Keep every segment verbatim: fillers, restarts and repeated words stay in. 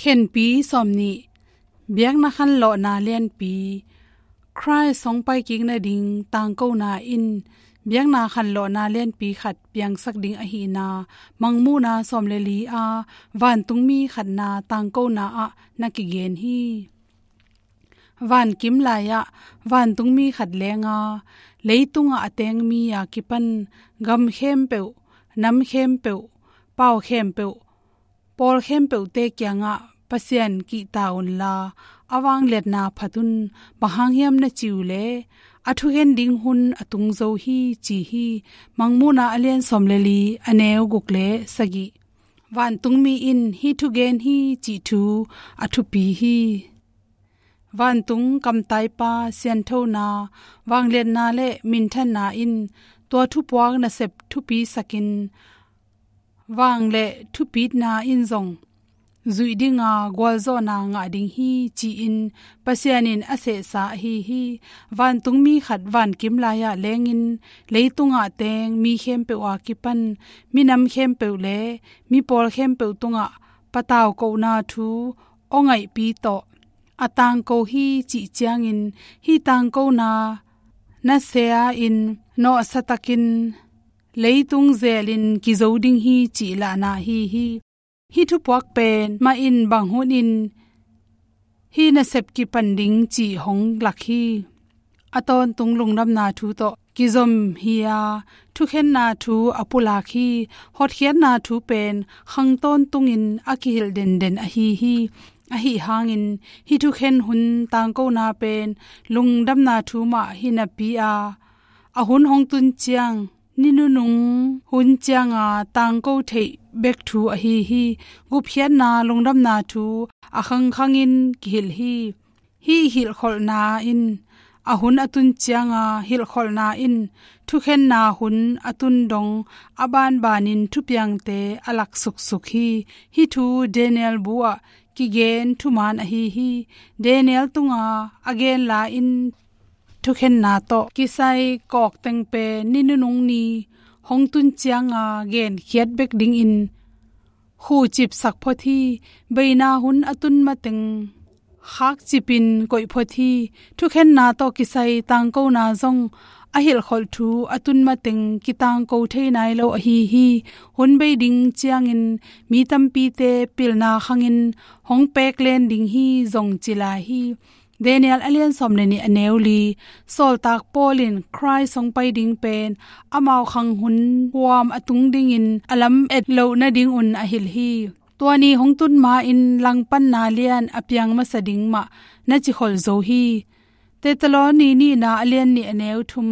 Khenpi sawmnih. Biakna khanlawhna lianpi. Khrih hong paikik nading tangkona in biakna khanlawhna lianpi khat piangsak ding ahihna, Mangmuhna sawm le li-a vantungmi khatna tangkona ah na kigen hi. Vankim lai-ah vantungmi khat lenga, leitungah a teng mi a kipan gam khempeuh, nam khempeuh, pau khempeuh, pawl khempeuhte kiangah Pasian kihta unla, a vangliatna phat un, bang hang hiam na ci uh leh, a thukhen ding hun a tung zo hi, ci hi. Mangmuhna a lian sawm le li, a neu guk le sagih. Vantungmi in hih thu gen hi cih thu a thupi hi. Vantung kamtaipa sianthona, vangliatna le minthanna in tua thupuak nasep thupisakin, vang le thupitna in zong zuih dinga gualzawhna ngah ding hi, ci-in Pasian in a sehsa ahi hi. Vantungmi khat vankim lai-ah lengin, leitungah teng mi khempeuh a kipan minam khempeuh le mipawl khempeuh tungah patau kohna thu aw ngaihpi tawh a tangko hi cih ciangin, hih tangkona nasia-in nawhsatakin leitung zelin kizo ding hi cih lahna ahi hi. Hih thupuak pen mah in bang hunin hih nasep kipan ding cih hong lak hi. A tawntung lungdamna thu tawh kizom hi-a, thukhenna thu a pulak hi. Hotkhiatna thu pen khang tawntungin a kihilh denden ahi hi. Ahi hangin hih thukhen hun tangkona pen lungdamna thu mah hi napi-a, a hun hong tun ciang, ni nunung hun cianga tangko theih bek thu ahi hi. Gupkhiatna lungdamna thu a khangkhangin kihilh hi. Hih hilhkholhna in, a hun a tun cianga hilhkholhna in thukhenna hun a tun dong a banbanin thupiangte a lak suksuk hi. Hih thu Daniel bu-ah kigen thuman ahi hi. Daniel tunga a gen la-in thukhenna tawh kisai kawkteng pen ni nunung ni hong tun cianga genkhiat bek dingin khucipsak phot hi. Beina hun a tun mateng khakcipin koih phot hi. Thukhenna tawh kisai tangkona zong a hilhkholh thu a tun mateng kitangko thei nai lo ahi hi. Hun bei ding ciangin mi tampite pilna khangin hong peklen ding hi zong ci lai hi. Daniel a lian sawm le nih, a neu li. Sawltak Paul in Khrih hong pai ding pen amau khang hun huam a tung dingin a lam et loh nadingun a hilh hi. Tua ni hong tun ma-in langpanna lian a piang masa ding mah na ci kholh zo hi. Thesalonika nihna a lian nih, a neu thum.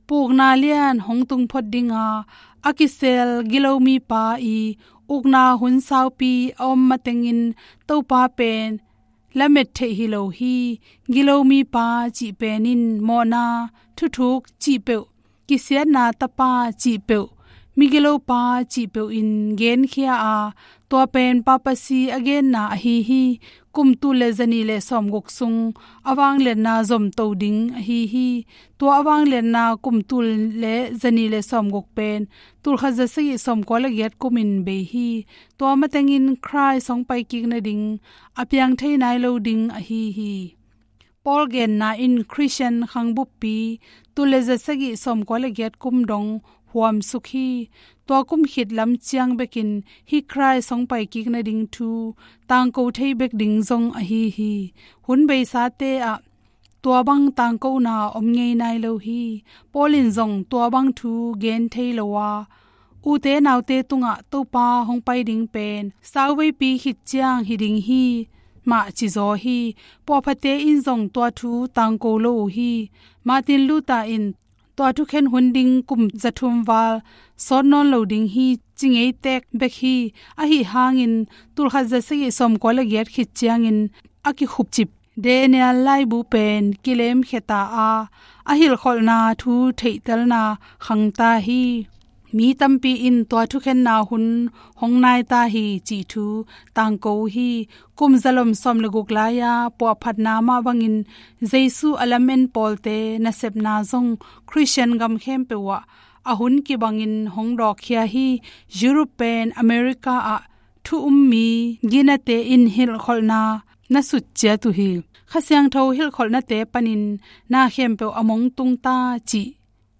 Pukna lian hong tung phot dinga a kisel gilomipa i ukna hun saupi a om matengin Topa pen lamet theih hi lo hi. Gilomipa cih pen in mawhna, thuthuk cih peuh, kisiatna tapa cih peuh, migilopa cih peuh in genkhia a, tua pen papasi a genna ahi hi. Kum tul le zanih le sawmguk sung a vangliatna zomto ding ahi hi. Tua a vangliatna kum tul le zanih le sawmguk pen tulkhat zasagih sawmkua le giat kumin bei hi. Tua matengin Khrih hong paikik nading a piang thei nai lo ding ahi hi. Paul genna in Khristian khang buppi tul le zasagih sawmkua le giat kum dong huamsuk hi. Tua kum khit lam ciang bekin hih Khrih hong paikik nading thu tangko thei bek ding zong ahi hi. Hun beisate ah tua bang tangkona om ngei nai lo hi. Paul in zong tua bang thu gen thei lo a, ute naute tungah Topa hong pai ding pen sauveipi khit ciang hi ding hi mah cizaw hi. Puahphate in zong tua thu tangko lo uh hi. Martin Luther in tua thukhen hun ding kum zathum val sawt nawn lo ding hi ci ngei tek bek hi. Ahi hangin tulkhat zasagih sawmkua le giat khit ciangin a kikhupcip Daniel laibu pen kilemkhia ta a, a hilhkholhna thu theihtelna khangta hi. Mi tampi in tua thukhenna hun hong nai ta hi cih thu tangko uh hi. Kum zalom sawm le guk lai-a puahphatna mah bangin Jesu a lamen pawlte nasepna zong Khristian gam khempeuh ah a hun kibangin hong dawkkhia hi. Europe pen America ah thu um mi ginate in hilhkholhna na sut ciat uh hi. Kha Siangtho hilhkholhnate panin na khempeuh a mong tung ta cih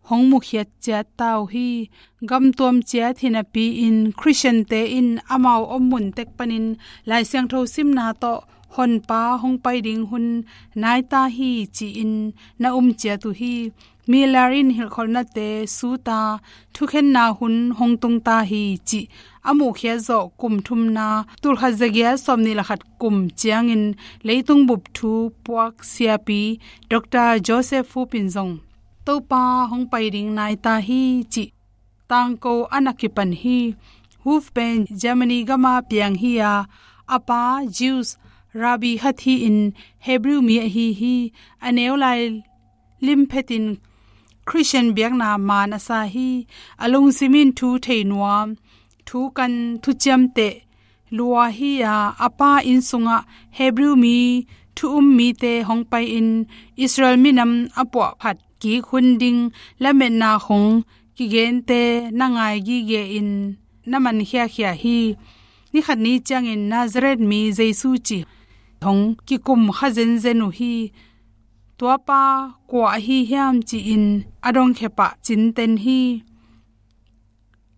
hong mukhiat ciat ta uh hi. Gamtuam ciat hi napi-in Khristiante in amau om mun tek panin Lai Siangtho simna tawh Honpa hong pai ding hun nai ta hi ci-in na um ciat uh hi. Miller in hilhkholhnate sut a, thukhenna hun hong tung ta hi cih a muhkhiat zawh kum thumna, tulkhat zagiat sawmnih le khat kum ciangin leitung bup thu puak siapi Doctor Joseph Fup in zong Topa hong pai ding nai ta hi cih tangko a na kipan hi. Fup pen Germany gama piang hi a, a pa Jews rabbi khat hi-in Hebrew mi ahi hi. A neu lai limphetin Khristian biakna maan a sa hi. A lungsim in thu thei nuam, thu kan, thu ciamteh lua hi a, a pa inn sungah Hebrew mi thu um mite hong pai-in Israel minam a puahphat kik hun ding lametna hong kigente na ngai gige-in na man khiakhia hi. Ni khat ni ciangin Nazareth mi Jesu cih hong kikum kha zenzen uh hi. Tua pa kua ahi hiam ci-in a dongkhia pah cinten hi.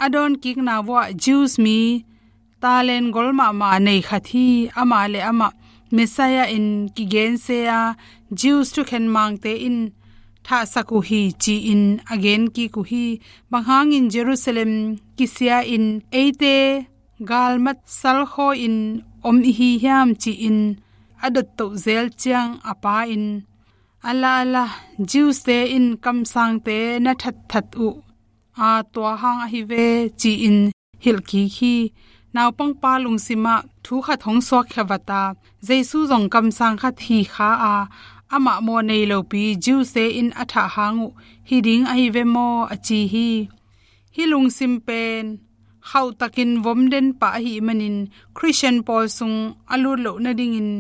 A dawnkikna vuah Jews mi talent gol mahmah nei khat hi. Amah le amah Messiah in kigen se a, Jews thukhen mangte in thahsak uh hi ci-in a gen kik uh hi. Bang hangin Jerusalem kisia-in eite galmat salkhaw-in om i hi hiam ci-in a dottoh zel ciang a pa in, "Ala, ala, Jews-te in kamsangte na thatthat uh a, tua hang ahi ve," ci-in hilh kik hi. Naupangpa lungsimah thu khat hong suakkhia vat a, Jesu zong kamsang khat hi kha a, amah mawh nei lopi Jews-te in a thah hang uh hi ding ahi ve maw, a ci hi. Hih lungsim pen khauhtakin vom den pah ahih manin Khristian pawl sung a lut loh nadingin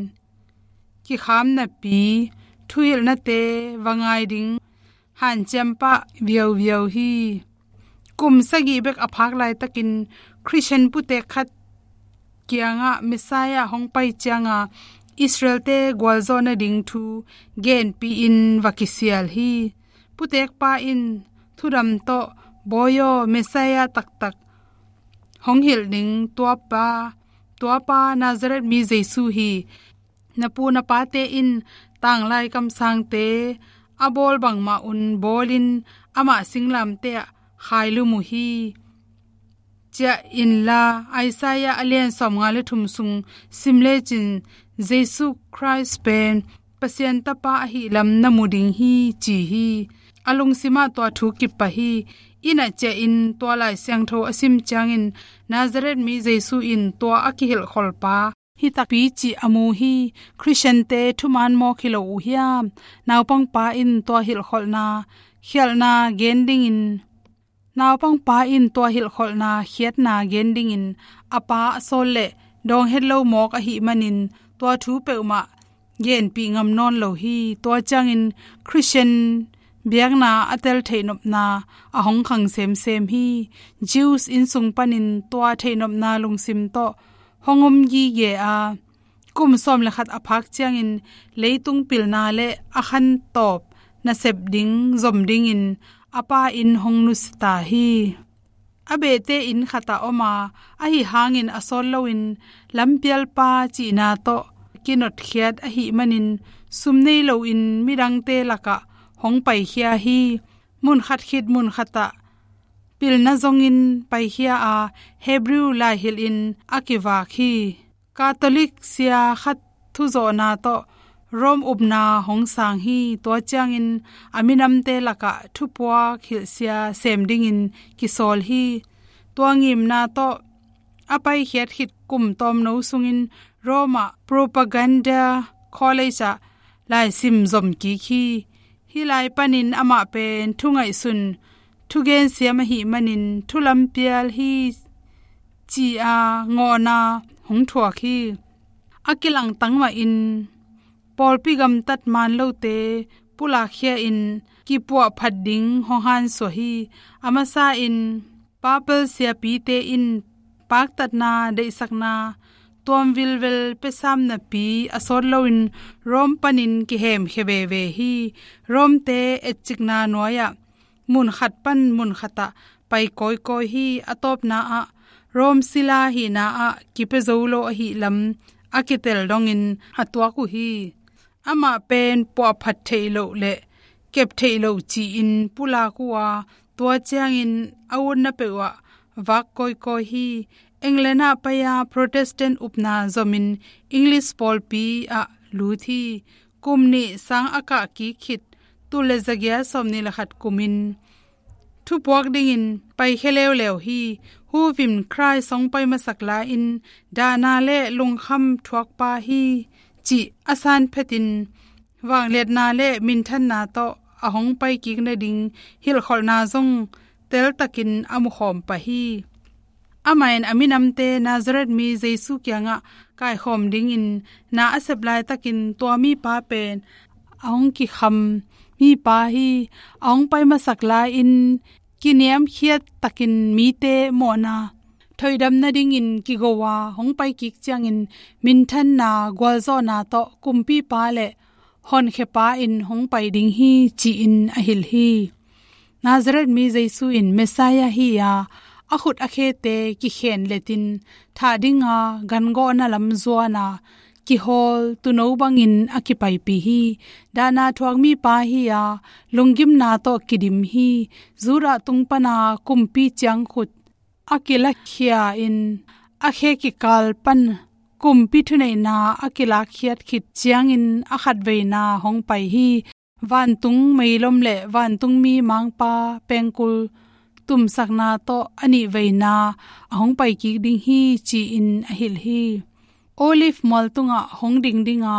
kikham napi thuhilhnate va ngai ding hanciam pah viauviau hi. Kum sagih bek a phak laitakin Khristian putek khat kiangah Messiah hong pai cianga Israel-te gualzawh nading thu genpih in va kisial hi. Putekpa in thudam tawh, "Bawi aw, Messiah taktak hong hilh ding tuapa, tuapa Nazareth mi Jesu hi. Na pu na pate in tanglai kamsangte a bawl bangmah un bawlin amah singlamteh ah khailum uh hi. Ciah inla, Isaiah a lian sawmnga le thum sung sim lecin Jesu Khrist pen Pasian Tapa ahih lam na mu ding hi," ci hi. A lungsimah tua thu kipah hi. Inn ah ciahin tua Lai Siangtho a sim ciangin Nazareth mi Jesu in tua a kihilhkholpa hi takpi cih a mu hi. Khristiante thuman mawk hi lo uh hiam? Naupangpa in tua hilhkholhna khialhna gen dingin, naupangpa in tua hilhkholhna khiatna gen dingin a pa a sawl leh dawng het lo mawk ahih manin tua thu peuhmah genpih ngam nawn lo hi. Tua ciangin Khristian biakna a tel theihnopna a hong khang semsem hi. Jews innsung panin tua theihnopna lungsim tawh hong om gige a, kum sawm le khat a phak ciangin leitung pilna le a khantawp nasep ding zom dingin a pa in hong nusia ta hi. A behte inn khatah om a, ahi hangin a sawt loin lampialpa cihna tawh kinotkhiat ahih manin sum nei loin midangte lakah hong paikhia hi. Mun khat khit mun khatah pilna zongin paikhia a, Hebrew laihilhin a kivak hi. Catholic sia khat thuzawhna tawh Rome upna hong sang hi. Tua ciangin a minamte lakah thupuak hilhsia sem dingin kisawl hi. Tua ngimna tawh a paikhiat khit kum tawmno sungin Rome ah Propaganda College ah laisim zom kik hi. Hih lai panin amah pen thu ngaihsun, thugen siam ahih manin thu lampial hi ci-a ngawhna hong thuak hi. A kilangtang mahin pawlpi gamtat man lote pulakkhia-in kipuahphat ding hong hansuah hi. A masa in papal siapite in paktatna, deihsakna tuam vilvel pia sam napi a sawt loin Rome panin kihemkhia veve hi. Rome-te etcikna nuai-ah mun khat pan mun khatah pai kawikawi hi. A tawpna ah Rome sila hihna ah kipia zo lo ahih lam a kitel dongin a tuak uh hi. Amah pen puahphat theih loh le kep theih loh ci-in pulak uh a, tua ciangin a utna peuhah vak kawikawi hi. England ah pai-a Protestant upna zomin English pawlpi ah lut hi. Kum nih sang a kah kik khit, tul le zagiat sawmnih le khat kumin thupuak dingin paikhia leuleu hi. Huvin Khrih hong pai masak lai-in dahna le lungkham thuakpa hi cih a san phetin vangliatna le minthanna tawh a hong pai kik nading hilhkholhna zong teltakin a mukhawm pah hi. Amah in a minamte Nazareth mi Jesu kiangah kaikhawm dingin na a sep laitakin tua mipa pen a hong kikham mipa hi. A hong pai masak lai-in kiniamkhiat takin mite mawhna thoihdam nadingin kigo a, hong pai kik ciangin minthanna gualzawhna tawh kumpipa le honkhiapa in hong pai ding hi ci-in a hilh hi. Nazareth mi Jesu in Messiah hi a, a khut a khete kikhen letin thah dinga gangawhna lam zuana kihawl tuuno bangin a kipaipih hi. Dahna thuak mipa hi a, lunggimna tawh kidim hi. Judah tung pana kumpi ciangkhut a kilakhia in a khe kikal pan kumpi thuneihna a kilakkhiat khit ciangin a khatveina hong pai hi. Vantung meilom le vantungmi mangpa pengkul tumsakna tawh a nihveina a hong pai kik ding hi ci-in a hilh hi. Olive mual tungah hong ding dinga,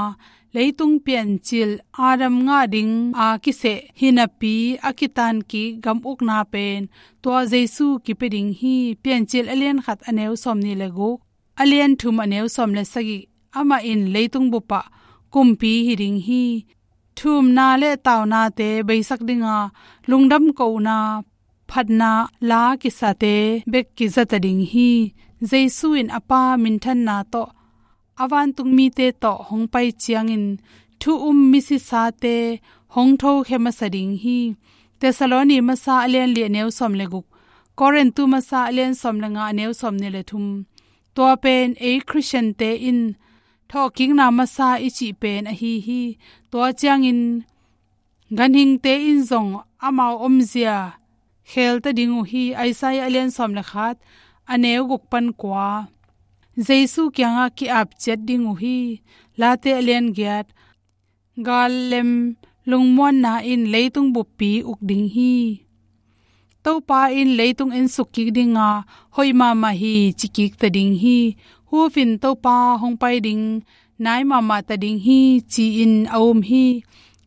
leitung piancil Adam ngah ding a kiseh hi napi a kitan kik gam ukna pen tua Jesu kipia ding hi. Piancil a lian khat a neu sawmnih le guk, a lian thum a neu sawm le sagih, amah in leitung bupah kumpi hi ding hi. Thumna le taunate beisak dinga, lungdam kohna phatna la kisate bek kizata ding hi. Jesu in a Pa minthanna tawh a vantungmite tawh hong pai ciangin thu um misisate hong thokhia masa ding hi. Thessaloni masa a lian li a neu sawm le guk, Korintu masa a lian sawm le nga a neu sawmnih le thum. Tua pen ei Khristiante in thawhkikna masa i cih pen ahi hi. Tua ciangin ganhingte in zong amau omzia khelta ding uh hi. Isaiah a lian sawm le khat a neu guk pan kua. Jesu kiangah ki-ap ciat ding uh hi. Late a lian giat, gal lem lungmuanna in leitung buppi uk ding hi. Topa in leitung ensuk kik dinga, hoih mahmah hi ci kik ta ding hi. Huvin Topa hong pai ding nai mahmah ta ding hi ci-in a um hi.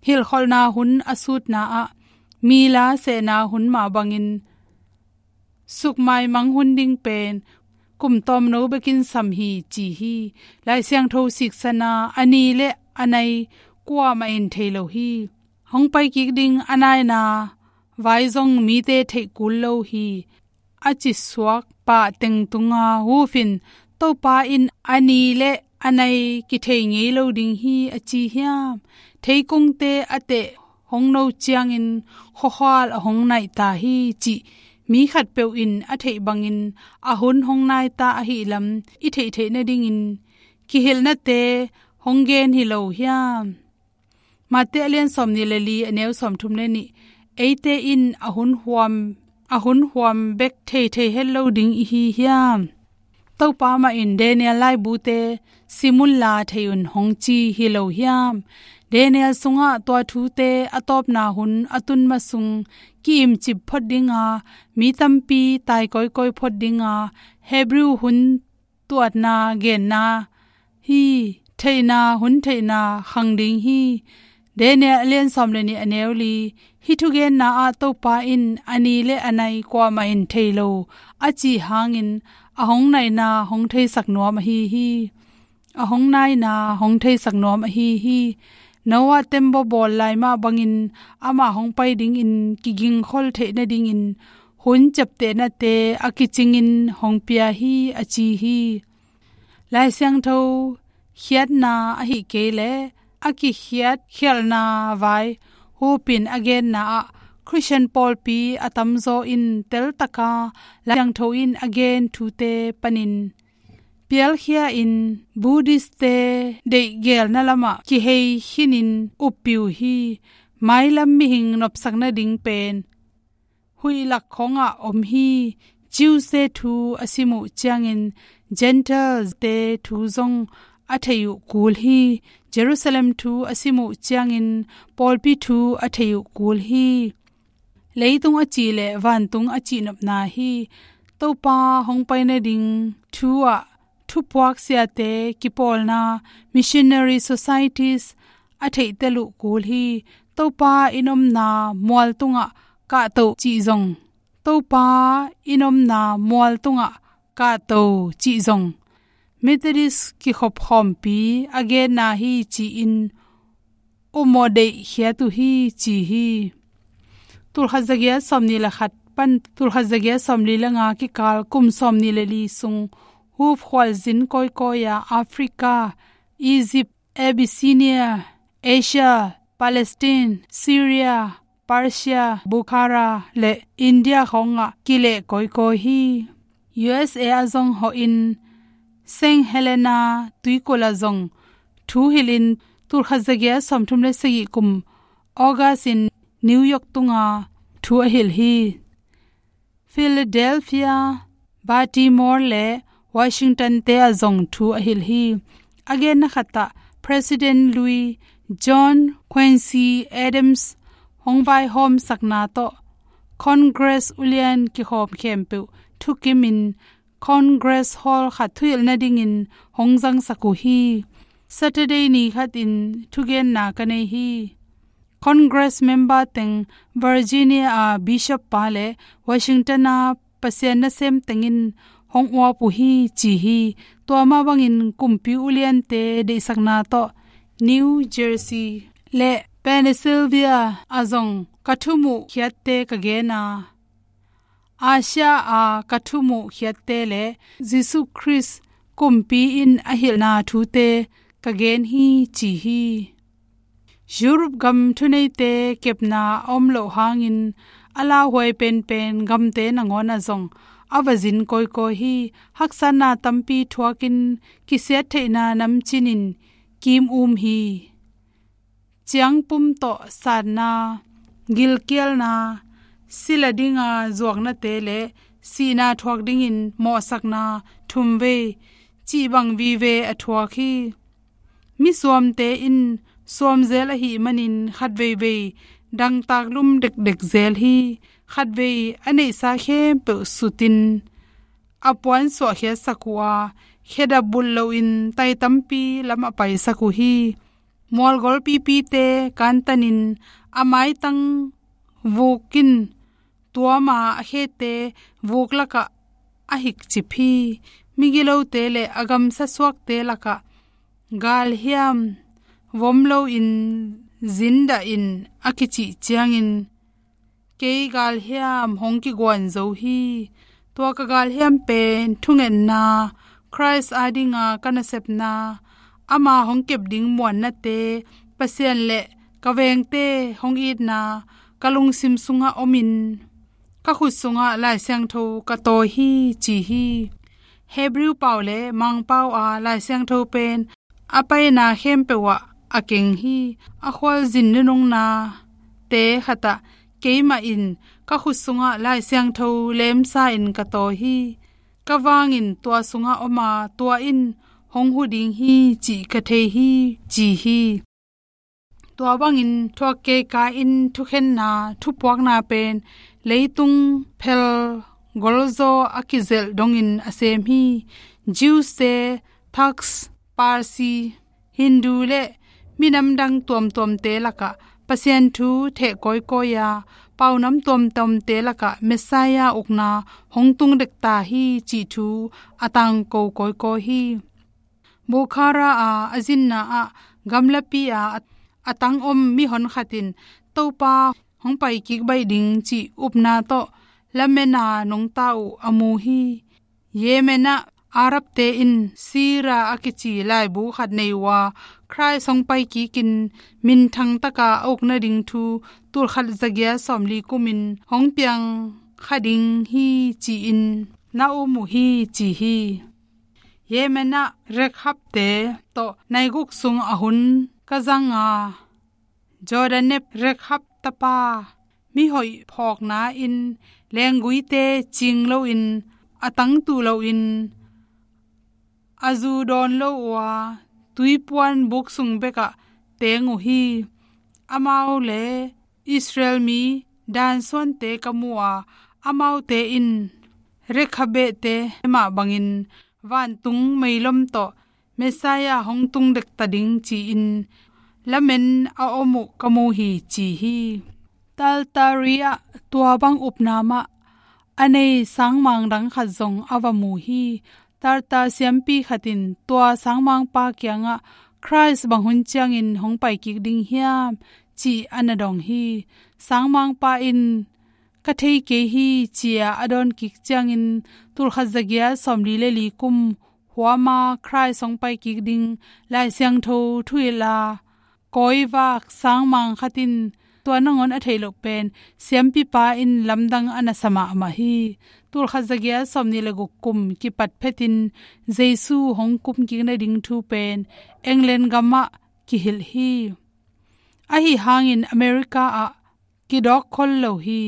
Hilhkholhna hun a sutna ah mi la sehna hun mah bangin sukmaimang hun ding pen kum tawmno bekin sam hi ci hi. Lai Siangtho siksana a ni le a nai kuamah in thei lo hi. Hong pai kik ding a naina vai zong mite theih kul lo hi, a ci suak pah teng tunga Huvin Topa in a ni le a nai kithei ngei lo ding hi a ci hiam? Theikungte a teh hong no ciangin khuakhual a hong naih ta hi cih mi khatpeuh in a theih bangin a hun hong nai ta ahih lam i theih theih nadingin kihilhnate hong gen hi lo hiam? Mate a lian sawmnih le li a neu sawmthum le nih, eite in a hun huam, a hun huam bek thei thei het lo ding i hi hiam? Topa mah in Daniel laibute sim unla thei un hong ci hi lo hiam? Daniel sungah tua thute a tawpna hun a tun ma sung ki-imcip phot dinga, mi tampi tai kawikawi phot dinga, Hebrew hun tuatna genna hi. Theihna, hun theihna khang ding hi. Daniel a lian sawm le nih a neu li, hih thugenna ah Topa in a ni le a nai kuamah in thei lo a cih hangin a hong naina hong theisak nuam ahi hi. A hong naina hong theisak nuam ahi hi. Noah tembaw bawl lai mah bangin amah hong pai dingin kigingkhol theih nadingin hun ciaptehnate a kicingin hong pia hi, a ci hi. Lai Siangtho khiatna ahih kei leh a kikhiat khialhna vai hupin a genna ah Khristian pawlpi a tamzaw in teltaka Lai Siangtho in a gen thute panin pialkhia in Buddhist-te deihgelna lamah kihei khinin uppi uh hi. Mailam mihing nopsak nading pen huih lak khawngah om hi. Jews-te thu a sim uh ciangin Gentiles-te thu zong a thei uh kul hi. Jerusalem thu a sim uh ciangin pawlpi thu a thei uh kul hi. Leitung a cih leh vantung a cihnopna hi. Topa hong pai nading thu ah thupuak siate kipawlna, missionary societies a theihtel uh kul hi. Topa in omna mual tungah kahto cih zong, Topa in omna mual tungah kahto cih zong Methodist kikhop khawmpi a genna hi ci-in upmawh deihkhiat uh hi ci hi. Tulkhat zagiat sawmnih le khat pan tulkhat zagiat sawmli le nga kikal kum sawmnih le li sung hupkhual zin kawikawi-a Africa, Egypt, Abyssinia, Asia, Palestine, Syria, Persia, Bukhara le India khawngah kileh kawikawi hi. U S A ah zong hawhin Saint Helena tuikulh ah zong thu hilhin tulkhat zagiat sawmthum le sagih kum August in New York tunga thu a hilh hi. Philadelphia, Baltimore le Washington-te ah zong thu a hilh hi. A genna khatah President lui John Quincy Adams hong vaihawmsakna tawh Congress ulian kikhawm khempeuh thukimin Congress Hall khat thuhilh nadingin hong zangsak uh hi. Saturday ni khatin thugenna ka nei hi. Congress member teng Virginia a Bishop pa le Washington a Pasian nasem tengin hong uap uh hi ci hi. Tua mah bangin kumpi uliante deihsakna tawh New Jersey le Pennsylvania ah zong ka thumuh khiatte ka gen a, Asia a ka thumuh khiatte le Jesu Khrist kumpi in a hilhna thute ka gen hi ci hi. Europe gam thuneite kepna a om loh hangin a lauhuai penpen gamte nangawn ah zong a va zin kawikawi hi. Haksatna tampi thuakin kisiat theihna namcin in kim um hi. Ciangpum tawh satna, gilkialna, sila dinga zuaknate le sihna thuak dingin mawhsakna thumvei cih bang vive a thuak hi. Misuamte in suamzel ahih manin khatveivei dangtak lum dekdek zel hi. Khatvei a neihsa khempeuh sutin a puan suahkhiatsak uh a, khedap bulh loin tai tampi lam a paisak uh hi. Mualgol pipite kantanin a maitang vukin tuama a khete vuk lakah a hikcip hi. Migilote le a gamsa suakte lakah galhiam vom loin zindah in a kicih ciangin kei galhiam hong kiguan zo hi. Tua ka galhiam pen thungetna, Khrist adinga ka nasepna, ama hong kep ding muannate, Pasian le ka vengte hong itna ka lungsim sungah omin ka khut sungah Lai Siangtho ka tawi hi ci hi. Hebrew pau le Mangpau a Lai Siangtho pen a paina khempeuh ah a keng hi. A khualzin nunungnate khatah keimah in ka khut sungah Lai Siangtho lemsa in ka tawi hi. Ka vangin tua sungah om a, tua in hong hu ding hi cih ka thei hi ci hi. Tua bangin thuak keika in thukhenna thupuakna pen leitung phel golzaw a kizelh dongin a sem hi. Jews-te, Turks, Parsi, Hindu le minam dang tuamtuamte lakah Pasian thu theh kawikawi a, paunam tuamtuamte lakah Messiah ukna hong tung dekta hi cih thu a tangko kawikawi hi. Bukhara a a zinna ah gamlapi a a tang om mihon khat in Topa hong paikik baih ding cih upna tawh lamen a nungta uh a mu hi. Yemen ah Arabte in Sira a kici laibu khat nei uh a, Khrist hong pai kikin minthang taka a uk nading thu tulkhat zagiat sawmli kumin hong piang kha ding hi ci-in na um uh hi ci hi. Yemen ah Rekhabte tawh nai guk sung a hun ka zang a, Jonadab, Rekhab tapa, mihoih phawkna in lengguite cing loin, a tangtuh loin, a zu dawn lo uh a, tuipuan buk sung bekah teng uh hi. Amau le Israel mi Dan suante ka mu a, amaute in Rekhabte mah bangin vantung meilom tawh Messiah hong tung dekta ding ci-in lamen a om uh ka mu hi ci hi. Tartari ah tua bang upna mah a nei sangmang dang khat zong a va mu hi. Tartar siampi khat in tua sangmangpa kiangah, "Khrist bang hun ciangin hong pai kik ding hiam?" ci-a na dong hi. Sangmangpa in, "Ka thei kei hi," ci-a a dawn kik ciangin tulkhat zagiat sawmli le li kum huama Khrist hong pai kik ding Lai Siangtho thuhilh a kawivak sangmang khat in tua nangawn a theih loh pen siampipa in lamdang a na sa mahmah hi. Tulkhat zagiat sawmni le guk kum kipat phetin Jesu hong kum kik nading thu pen England gamah kihilh hi. Ahi hangin America ah kidawk khol lo hi.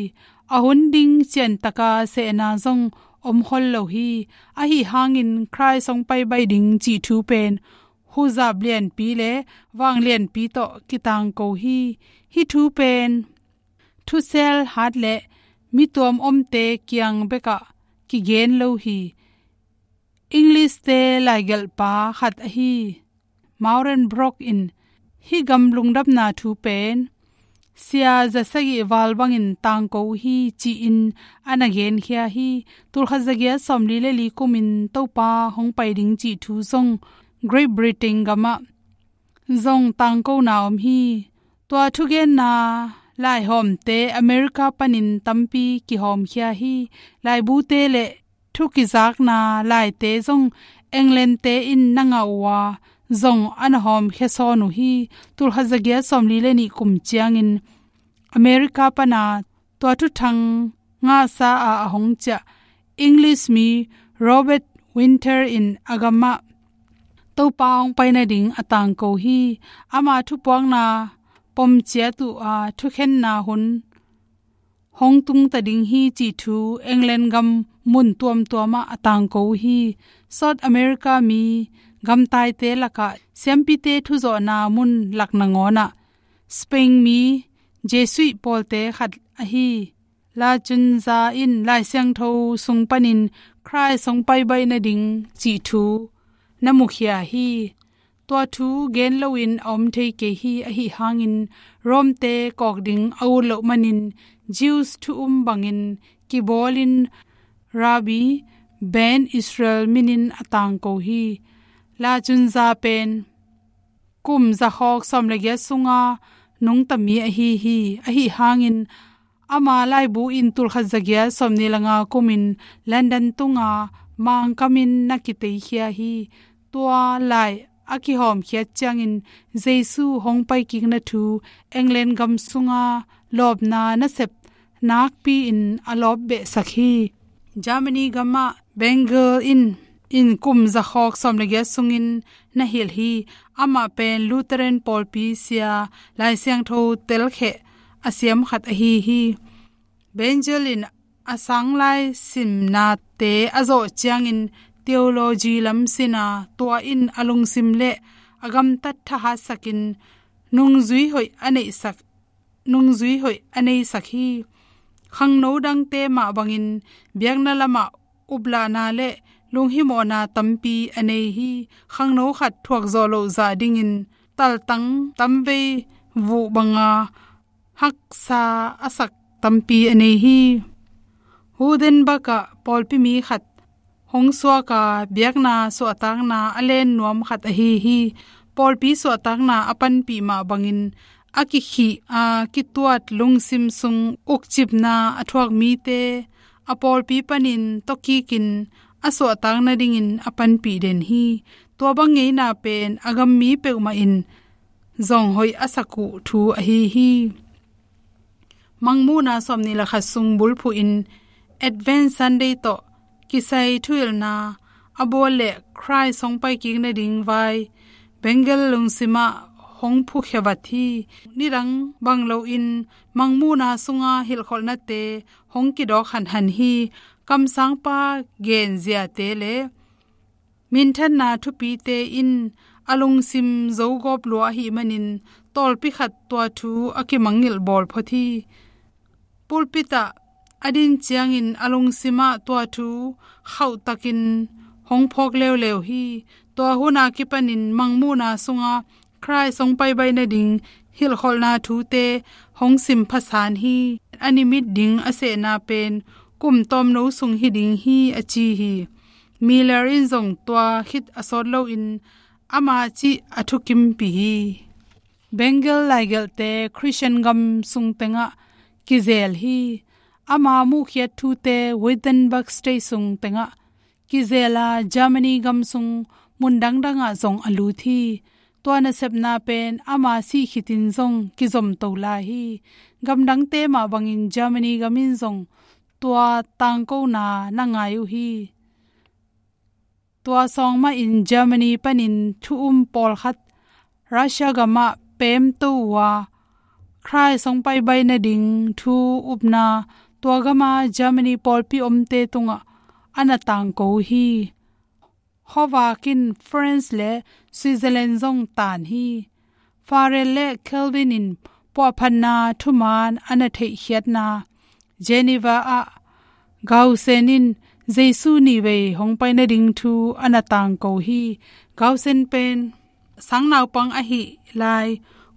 A hun ding ciantaka sehna zong om khol lo hi. Ahi hangin Khrist hong pai baih ding cih thu pen huzap lianpi le vang lianpi tawh kitangko hi. Hih thu pen thusel hat le mituam omte kiang bekah kigen lo hi. English-te laigelhpa khat ahi Maureen Brock in hih gam lungdamna thu pen sia za sagih val bangin tangko uh hi ci-in a na genkhia hi. Tulkhat zagiat sawmli le li kumin Topa hong pai ding cih thu zong Great Britain gamah zong tangkona om hi. Tua thugenna laihawmte America panin tampi kihawmkhia hi. Laibute le thu kizakna laite zong England-te in na ngah uh a, zong a na hawmkhia sawn uh hi. Tulkhat zagiat sawmli le nih kum ciangin America pana tua thuthang ngahsa a a hong ciah English mi Robert Winter in a gamah Topa hong pai nading a tangko hi. Ama thupuakna pom ciat uh a, thukhenna hun hong tungta ding hi cih thu England gam mun tuamtuamah a tangko uh hi. South America mi gamtaite lakah siampite thuzawhna mun lak nangawnah Spain mi Jesuit pawlte khat ahi Lacunza in Lai Siangtho sung panin Khrist hong pai baih nading cih thu na mukhia hi. Tua thu gen loin a om thei kei hi. Ahi hangin Rome-te kawk ding a ut loh manin Jews thu um bangin kibawlin Rabbi Ben Israel minin a tangko hi. Lacunza pen kum zakhawk sawm le giat sunga nungtami ahi hi. Ahi hangin ama laibu in tulkhat zagiat sawmni le nga kumin London tunga Mangkamin na kiteikhia hi. Tua lai a kihawmkhiat ciangin Jesu hong paikikna thu England gam sunga lawpna nasep nakpi-in a lawp behsak hi. Germany gamah Bengel in, in kum zakhawk sawm le giat sungin na hilh hi. Amah pen Lutheran pawlpi sia Lai Siangtho telkheh a siam khat ahi hi. Bengel in a sanglai simnate a zawh ciangin theology lam sina, tua in a lungsim le a gamtat thahatsakin nungzui hoih a neihsak nungzui hoih a neisak hi. Khangno dangte mah bangin biakna lamah uplahna le lunghimawhna tampi a nei hi. Khangno khat thuakzawh loh zah dingin taltang tamvei vuh banga haksa a sak tampi a nei hi. Hudenbak ah pawlpi mi khat hong suak a, biakna suahtakna a len nuam khat ahi hi. Pawlpi suahtakna a panpih mah bangin a kikhih a kituat lungsim sung ukcipna a thuak mite a pawlpi panin tawkikin a suahtak nadingin a panpih den hi. Tua bang ngeina pen a gammi peuhmah in zong hoih a sak uh thu ahi hi. Mangmuhna sawmnih le khat sung bulphuhin Advent Sunday tawh kisai thuhilhna a bawl le Khrist hong paikik nading vai Bengal lungsimah hong phukhia vat hi. Nidang bang loin Mangmuhna sunga hilhkholhnate hong kidawk hanhan hi. Kamsangpa genziate le minthanna thupite in a lungsim zogawp lua ahih manin tawlpi khat tua thu a kimangngilh bawl phot hi. Pulpit ah a din ciangin a lungsimah tua thu khauhtakin hong phawk leuleu hi. Tua hun a kipanin Mangmuhna sunga Khrist hong paibai nading hilhkholhna thute hong sim phasan hi. A nimit ding a sehna pen kum tawmno sung hi ding hi a ci hi. Miller in zong tua khit a sawt loin ama cih a thukimpih hi. Bengal laigelhte Christian gam sung tengah kizel hi. Ama muhkhiat thute Wittenberg State sung tengah kizel a Germany gam sung mun dangdangah zong a lut hi. Tua nasepna pen ama sih khitin zong kizomto lai hi. Gamdangte mah bangin Germany gam in zong tua tangkona na ngai uh hi. Tua sawng mahin Germany panin thu um pawlkhat Russia gamah pemto uh a, Khrist hong paibai nading thu upna tua gama Germany pawlpi omte tungah a na tangko uh hi. Khuavak in France le Switzerland zong tan hi. Farel le Calvin in puahphatna thuman a na theihkhiatna Geneva ah Gaussen in Jesu nihvei hong pai nading thu a na tangko hi. Gaussen pen sangnaupang ahi lai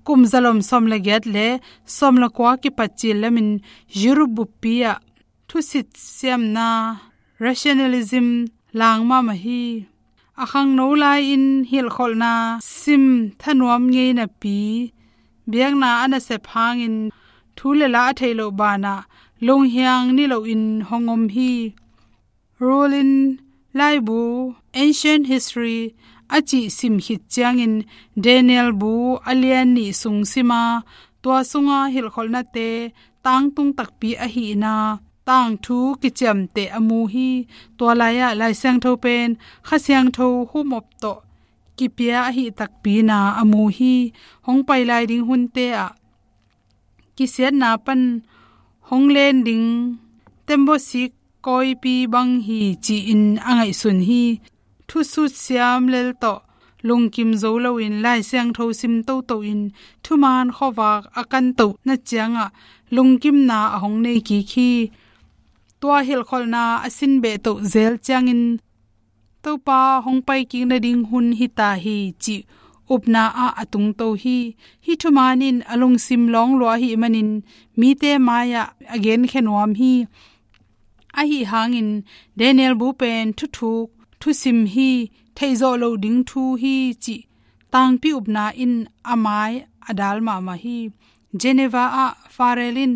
kum zalom sawm le giat le sawm le kua kipat cil lamin Europe buppi ah thusit siamna rationalism lang mahmah hi. A khangno lai-in hilhkholhna sim thanuam ngei napi biakna a nasep hangin thu le la a theih loh banah lunghiang niloin hong om hi. Rollin laibu Ancient History a cih sim khit ciangin Daniel bu a lian nih sung sima tua sunga hilhkholhnate tangtung takpi ahihna tangthu kiciamteh a mu hi. Tua lai-ah Lai Siangtho pen Kha Siangtho humop tawh kipia ahih takpi na a mu hi. Hong pai lai ding hunte ah kisiatna pan hong len ding tembosik kawipi bang hi ci-in a ngaihsun hi. Thusut siam lel tawh lungkim zo loin Lai Siangtho sim toto in thuman khuavak a kantohna ciangah lungkimna a hong nei kik hi. Tua hilhkholhna a sin behtoh zel ciangin Topa hong paikik nading hun hita hi cih upna ah a tungto hi. Hih thuman in a lungsim lawng lua ahih manin mite mai-ah a genkhia nuam hi. Ahi hangin Daniel bu pen thuthuk thusim hi, theihzawh loh ding thu hi cih tangpi upna in a mai a dal mahmah hi. Geneva ah Farel in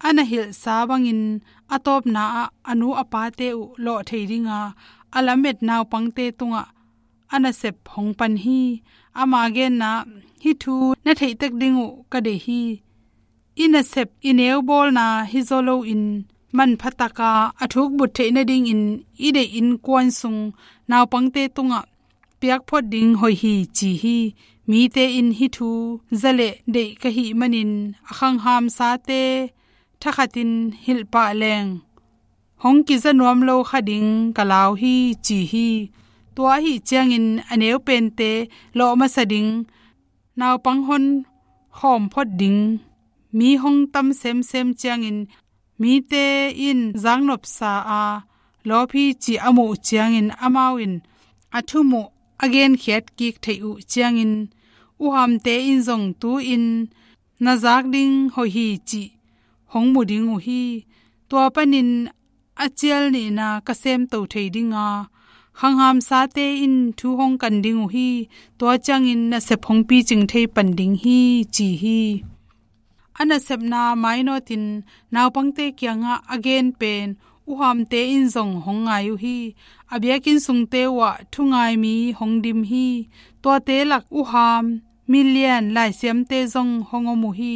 a na hilhsa bangin a tawpna ah a nu a pate uh lawh thei dinga a lamet naupangte tungah a nasep hong pan hi. Ama genna, "Hih thu na theihtek ding uh ka deih hi. I nasep i neu bawlna hi zaw loin manpha taka a thukbut theih nadingin i deih innkuan sung naupangte tungah piak phot ding hoih hi," ci hi. Mite in hih thu za leh deih ka hih manin a khanghamsate thakhatin hilh pah leng hong kiza nuam lo kha ding ka lau hi, ci hi. Tua ahih ciangin a neu pente lawh masa ding, naupang hon khawm phot ding mi hong tam semsem ciangin mite in zaknopsa a lawp hi cih a muh ciangin amau in a thum uh a genkhiat kik theih uh ciangin uhamte in zong tu-in na zak ding hoih hi cih hong mu ding uh hi. Tua panin a cial nihna ka semto thei dinga khanghamsate in thu hong kan ding uh hi. Tua ciangin nasep hong picing thei pan ding hi, ci hi. A nasepna mainawtin naupangte kiangah a gen pen uhamte in zong hong ngai uh hi. A biakinn sungte uhah thungai mi hong dim hi. Tuate lak uham milian laisiamte zong hong om uh hi.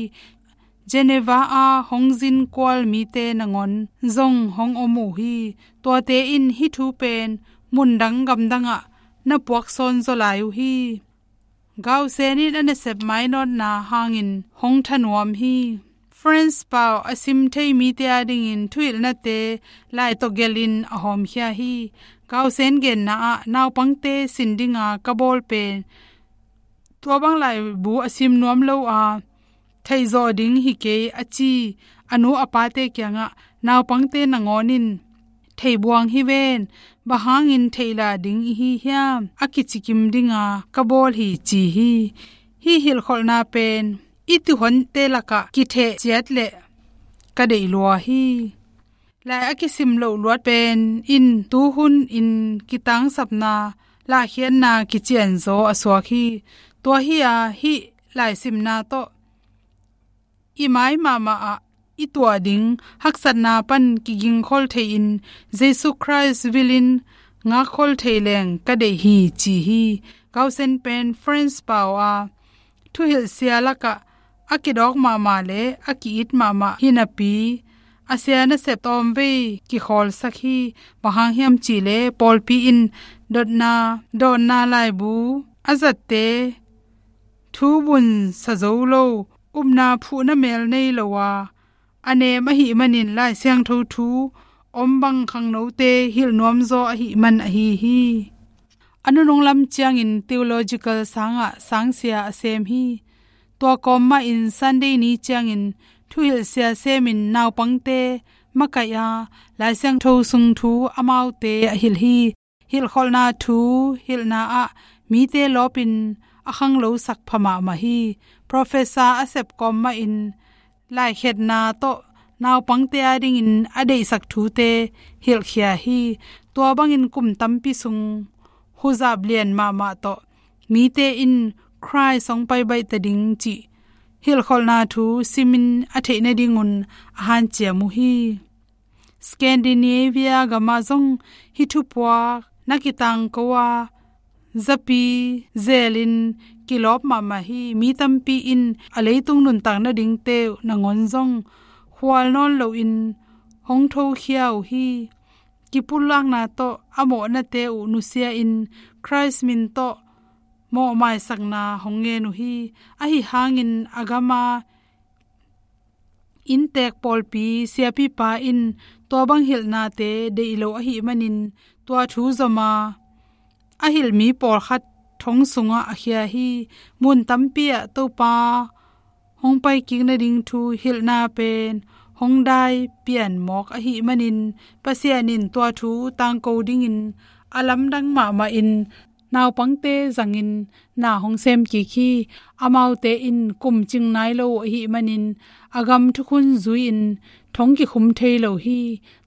Geneva a hong zin kual mite nangawn zong hong om uh hi. Tuate in hih thu pen mundang gamdangah na puaksawn zaw lai uh hi. Gausen in a nasep mainawtna hangin hong thanuam hi. French pau a sim thei mite adingin thuhilhnate lai tawh gelhin a hawmkhia hi. Gausen genna ah naupangte sin dinga ka bawl pen tua bang laibu a sim nuam lo a, theihzawh ding hi kei a ci a nu a pate kiangah naupangte nangawn in theibuang hi ven, bang hangin theihlah ding i hi hiam a kicikim dinga ka bawl hi ci hi. Hih hilhkholhna pen i tuuhonte lakah kitheh ciat leh ka deih lua hi. Lai a kisim loh luat pen in tuhun in kitangsapna lahkhiatna kicianzaw a suak hi. Tua hi a hih laisimna tawh i mai mahmah ah i tuah ding haksatna pan kigingkhol thei-in Jesu Khrist vilin ngakkhol thei leng ka deih hi ci hi. Gausen pen French pau a thuhilhsia lakah a kidawk mahmah le a ki-it mahmah hi napi a sia nasep tawmvei kikhawlsak hi. Bang hang hiam cihleh pawlpi in dotna dawnna laibu a zatte thu bun sa zo lo, upna phuhna mel nei lo a, a nem ahih manin Lai Siangtho thu om bang khangnote hilh nuamzaw ahih man ahi hi. A nunung lam ciangin theological sangah sangsia a sem hi. Tua kawm mahin Sunday ni ciangin thuhilhsia semin naupangte makaih a, Lai Siangtho sung thu amaute a hilh hi. Hilhkholhna thu hilhna ah mite lawpin a khanglosak pha mahmah hi. Professor a sep kawm mahin laikhetna tawh naupangte adingin a deihsak thute hilhkhia hi. Tua bangin kum tampi sung huzap lian mahmah tawh mite in Khrist hong pai baih ta ding cih hilhkholhna thu simin a theih nadingun a hanciam uh hi. Scandinavia gamah zong hih thupuak na kitangko a, zapi zelin kilawp mahmah hi. Mi tampi in a leitung nuntak nadingte uh nangawn zong khual nawn loin hong thokhia uh hi. Kipulakna tawh a mawhnate uh nusia-in Khrist min tawh mawhmaisakna hong ngen uh hi. Ahi hangin a gama inntek pawlpi siapipa in tua bang hilhnate deih lo ahih manin tua thu zoma a hilh mi pawlkhat thong sungah a khia hi. Mun tampi ah Topa hong paikik nading thu hilhna pen hong dai pian mawk ahih manin Pasian in tua thu tangko dingin a lamdang mahmah in naupangte zangin na hong sem kik hi. Amaute in kum cing nai lo uh ahih manin a gam thukhun zui-in thong kikhum thei lo hi.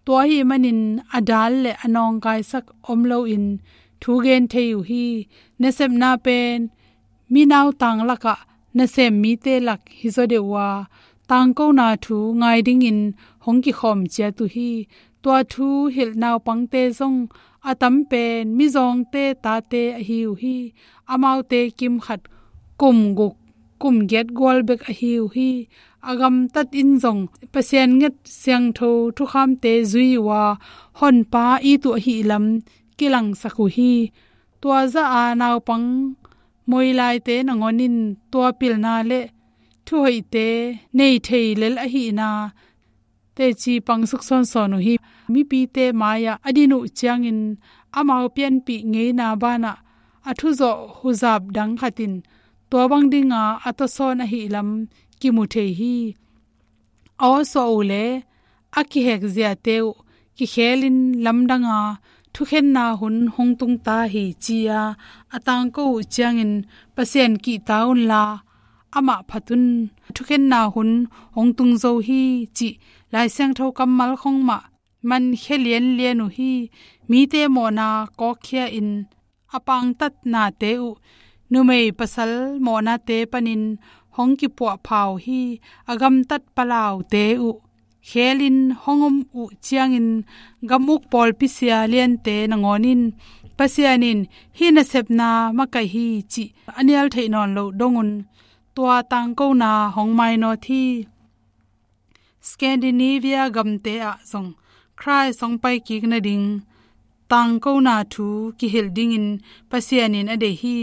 Tua ahih manin a dal le a nawngkaisak om loin thu gen thei uh hi. Nasepna pen minautang lakah nasem mite lak hi zaw deuh uh a, tangkona thu ngai dingin hong kikhawm ciat uh hi. Tua thu hilh naupangte zong a tam pen mizawngte tate ahi uh hi. Amaute kimkhat kum guk kum giat gual bek ahi uh hi. A gamtat in zong Pasian nget siangtho thukhamte zui uh a, Honpa it uh ahih lam kilangsak uh hi. Tua zah a naupang moilaite nangawn in tua pilna le thuhoihte nei thei lel ahihna teci pang suksawnsawn uh hi. Mipite mai-ah a din uh ciangin amau pianpih ngeina banah a thuzawh huzap dang khat in tua bang dinga a tawsawn ahih lam kimu thei hi. A awsuah uh le a kihek ziate uh kikhelin lamdanga thukhenna hun hong tung ta hi ci-a a tangko uh ciangin Pasian kihta unla amah phat un, thukhenna hun hong tung zo hi cih Lai Siangtho kammal khong mah mankhia lianlian uh hi. Mite mawhna kawkkhia in a pangtatnate uh numei pasal mawhnate panin hong kipuahpha uh hi. A gamtat palaute uh khelin hong om uh ciangin gam uk pawlpi sia liante nangawn in Pasian in hih nasepna makaih hi cih a nial theih nawn loh dongun tua tangkona hong mainawt hi. Scandinavia gamte ah zong Khrist hong paikik nading tangkona thu kihilh dingin Pasian in a deih hi.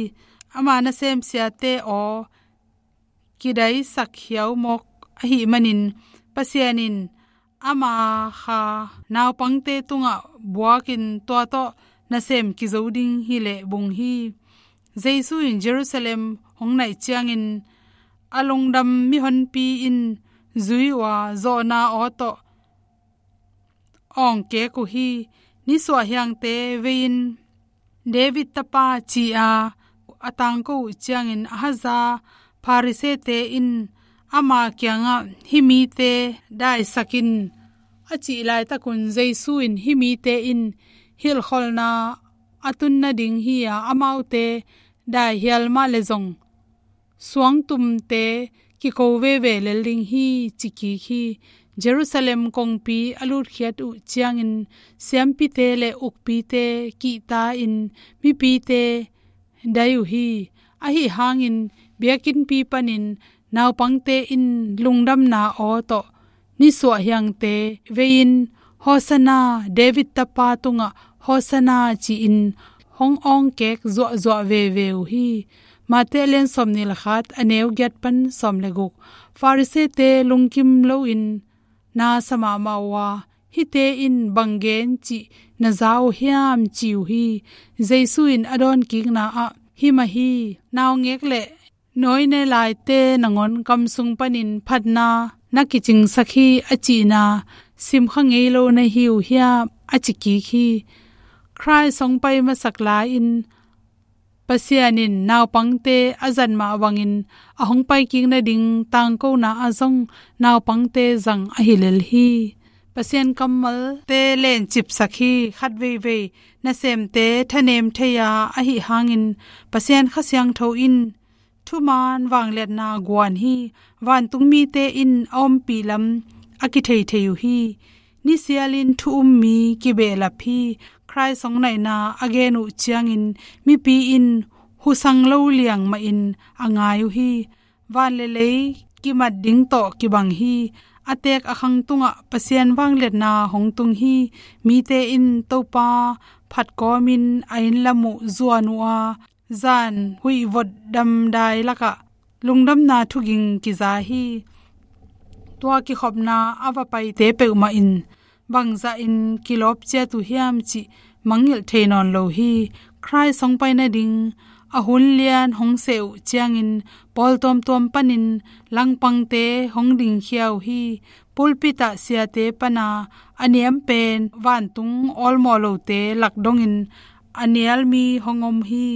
Ama nasemsiate aw kidaisak hiau mawk ahih manin Pasian in ama kha naupangte tungah buakin tua tawh nasem kizo ding hi leh bung hi. Jesu in Jerusalem hong naih ciangin a lungdam mihonpi in zui uh a, zawhna aw tawh awngkek uh hi. Nisuah hiangte vei-in David tapa ci-a a tangko uh ciangin a haza Pharisee-te in ama kiangah hih mite daisak in a cih laitakun Jesu in hih mite in hilhkholhna a tun nading hi-a amaute daihial mah le zong suangtumte kiko veve lel ding hi ci kik hi. Jerusalem kongpi a lutkhiat uh ciangin siampite le ukpite kihta-in mipite dai uh hi. Ahi hangin biakinnpi panin naupangte in lungdamna aw tawh nisuah hiangte vei-in Hosanna, David tapa tungah Hosanna ci-in hong awngkek zuahzuah veve uh hi. Matthai a lian sawmnih le khat a neu giat pan sawm le guk. Pharisee-te lungkim loin na sa mahmah uh a, hihte in bang gen cih na za uh hiam ci uh hi. Jesu in a dawnkikna ah himah hi. Naungek le nawine laite nangawn kamsung panin phatna na kicingsak hi a cihna simkha ngei lo na hi uh hiam a ci kik hi. Khrist hong pai masak lai-in Pasian in naupangte a zat mah bangin a hong paikik nading tangkona ah zong naupangte zang ahi lel hi. Pasian kammalte lencipsak hi. Khat veivei nasemte thanem thei-a ahi hangin Pasian Kha Siangtho in thuman vangliatna guan hi. Vantung mite in a ompih lam a kitheithei uh hi. Nisialin thu um mi kibehlap hi. Khrist hong naihna a gen uh ciangin mipi in husang lo liang mahin a ngai uh hi. Van le lei kimat ding tawh kibang hi. A teek a khang tungah Pasian vangliatna hong tung hi. Mite in Topa phat kawmin a inn lam uh zuan uh a, zan huih vot damdai lakah lungdamna thuging kiza hi. Tua kikhopna a va paite peuhmah in bangzahin kilawp ciat uh hiam cih mangngilh thei nawn lo hi. Khrist hong pai nading a hun lian hong seh uh ciangin pawl tuamtuam panin langpangte hong dingkhia uh hi. Pulpit ah siate pana a niam pen vantung awlmawh lote lak dongin a nial mi hong om hi.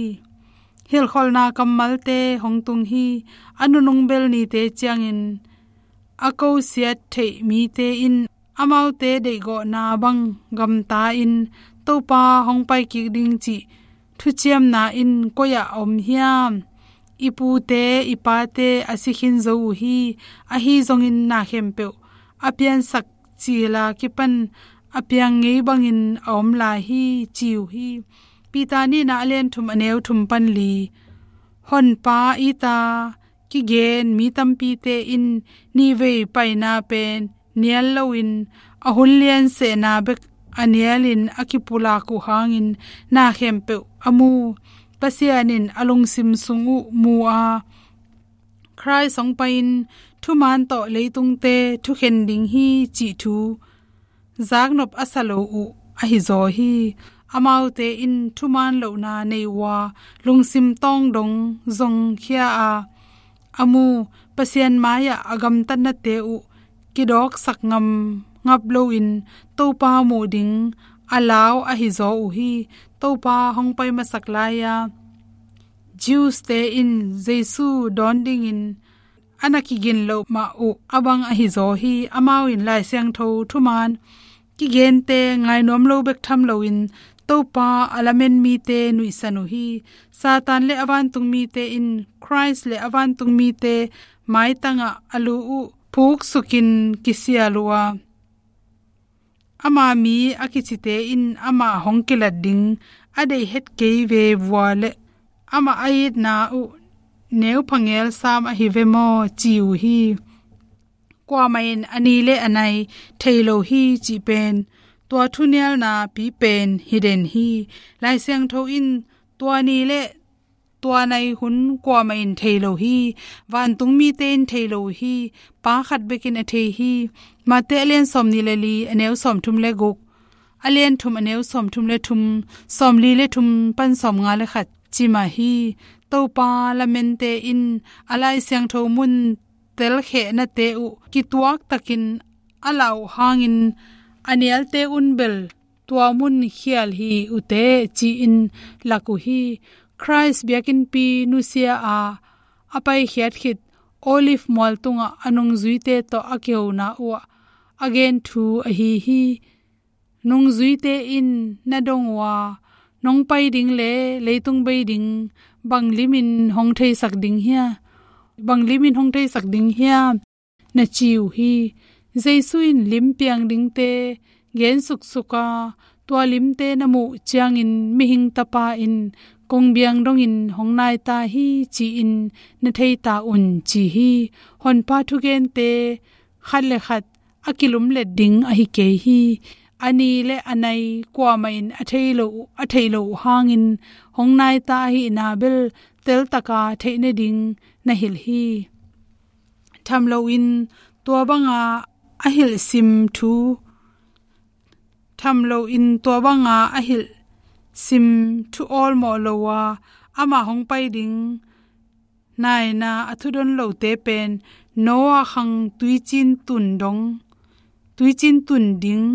Hilhkholhna kammalte hong tung hi. A nunung bel nite ciangin a kosiat theih mite in amaute deihgawhna bang gamta-in Topa hong paikik ding cih thuciamna in koi-ah a om hiam? I pute i pate a si khin zo uh hi. Ahi zongin na khempeuh a piansak cila kipan a piang ngei bangin a om lai hi ci uh hi. Peter nihna a lian thum a neu thum pan li. Honpa i ta kigen mi tampite in nihvei paina pen nial loin a hun lian sehna bek a nialin a kipulak uh hangin na khempeuh a mu. Pasian in a lungsim sung uh mu a, Khrist hong pai-in thuman tawh leitungte thukhen ding hi cih thu zaknop a sa lo uh ahi zaw hi. Amaute in thuman lohna nei uh a, lungsim tawng dong zongkhia a, a mu. Pasian mai-ah a gamtatnate uh kidawksak ngam ngap loin Topa muh ding a lau ahi zaw uh hi. Topa hong pai masak lai-a Jews-te in Jesu dawn dingin a na kigin loh mah uh a bang ahi zaw hi. Amau in Lai Siangtho thuman kigente ngainuam lo bek tham loin Topa a lamen mite nuihsan uh hi. Satan le a vantungmite in Khrist le a vantungmite maitangah a lu uh phuksukin kisial uh a, ama mi a kicite in amah hong kilat ding a deih het kei ve vua le amah a itna uh neu phangel sam ahi ve maw ci uh hi. Kuamah in a ni le a nai thei lo hi cih pen tua thunialna pipen hi den hi. Lai Siangtho in tua ni le tua nai hun kuamah in thei lo hi. Vantungmite in thei lo hi. Pa khat bekin a thei hi. Mate a lian sawmnih le li a neu sawmthum le guk, a lian thum a neu sawmthum le thum, sawmli le thum pan sawmnga le khat ci mah hi. Topa lamente in a Lai Siangtho mun telkhehnate uh kituak takin a lau hangin a nialte un bel tua mun khial hi uh teh ci-in lak uh hi. Khrist biakinnpi nusia a a paikhiat khit Olive mual tungah a nungzuite tawh a kihona uhah a gen thu ahi hi. Nungzuite in na dong uh a, nong pai ding le leitung bei ding bang limin hong theisak ding hia? Bang limin hong theisak ding hia? Na ci uh hi. Jesu in lim piang dingte gen suksuk a, tua limte na muh ciangin mihing tapa in kong biang dongin hong nai ta hi ci-in na thei ta un ci hi. Honpa thugente khat le khat a kilumlet ding ahi kei hi. A ni le a nai kuamah in a thei lo, a theih loh hangin hong nai ta ahihna bel teltaka theih nading na hilh hi. Tham loin tua banga a hilh sim thu, tham loin tua banga a hilh sim thu awlmawh lo a, amah hong pai ding naina a thudon lote pen Noah khang tuicin tun dong, tuicin tun ding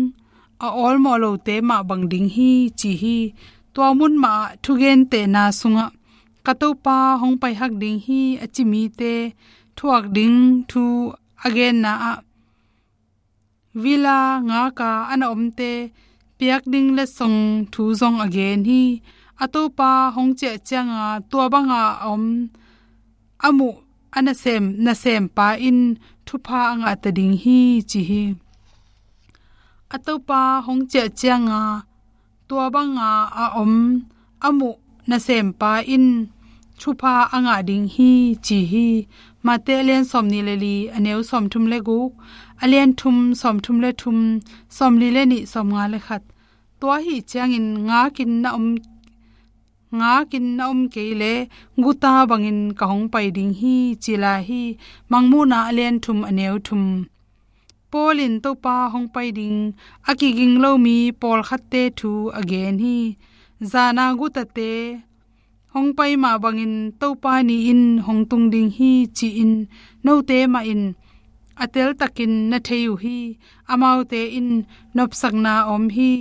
a awlmawh lote mah bang ding hi ci hi. Tua mun mah ah thugentehna sungah ka Topa hong pai hak ding hi a ci mite thuak ding thu a genna ah villa ngaka a na omte piak ding letsong thu zong a gen hi. A Topa hong ciah cianga tua banga a om a muh a nasem, nasempa in thupha a ngah ta ding hi ci hi. A Topa hong ciah cianga tua banga a om a muh nasempa in thupha a ngah ding hi ci hi. Mate a lian sawmnih le li a neu sawmthum le guk, a lian thum sawmthum le thum, sawmli le nih sawmnga le khat. Tua ahi ciangin ngakin na om, ngakin na om kei le guta bangin ka hong pai ding hi ci lai hi. Mangmuhna a lian thum a neu thum. Paul in Topa hong pai ding a kiging lo mi pawlkhatte thu a gen hi. Zana gutate hong pai mah bangin Topa ni in hong tung ding hi ci-in note mah in a teltakin na thei uh hi. Amaute in nopsakna om hi,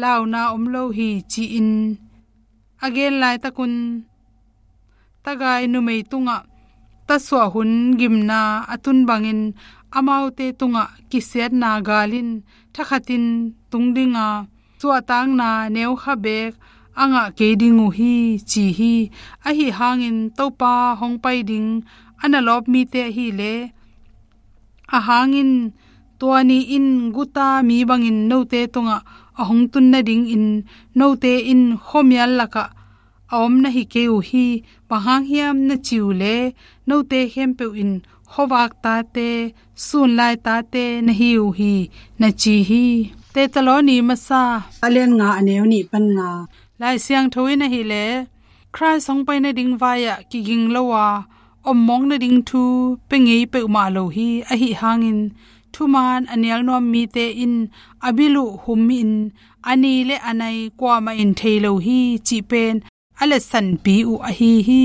launa om lo hi ci-in a gen laitakun tagai numei tungah tasuah hun gimna a tun bangin amaute tungah kisiatna gal in thakhatin tung dinga suahtakna neukha beek a ngah kei ding uh hi ci hi. Ahi hangin Topa hong pai ding a na lawp mite ahileh a hangin tua ni in guta mi bangin note tungah a hong tun nadingin note in khuamial lakah a om na hi kei uh hi. Bang hang hiam na ci uh leh note khempeuh in khuavak tate, sunlai tate na hi uh hi na ci hi. Thessaloni masa a lian nga a neu nih pan nga. Lai Siangtho in ahileh Khrist hong pai nading vai-ah kiging lo a ommawk nading thu pia ngei peuhmah lo hi. Ahi hangin thuman a nialnuam mite in a bil uh humin a ni le a nai kuamah in thei lo hi cih pen a letsanpi uh ahi hi.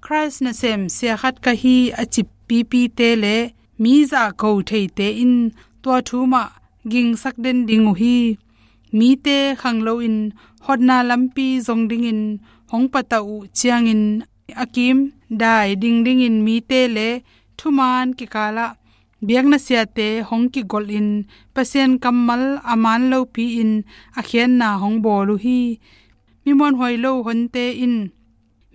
Khrist nasem sia khat ka hi a ci pipite le mi zahko theite in tua thu mah gingsak den ding uh hi. Mite khang loin hotna lampi zong dingin hong patauh uh ciangin a kim dai dingdingin mite le thuman kikalah biakna siate hong kigolhin Pasian kammal a man lopi-in a khiatna hong bawl uh hi. mi muanhuai lo honte in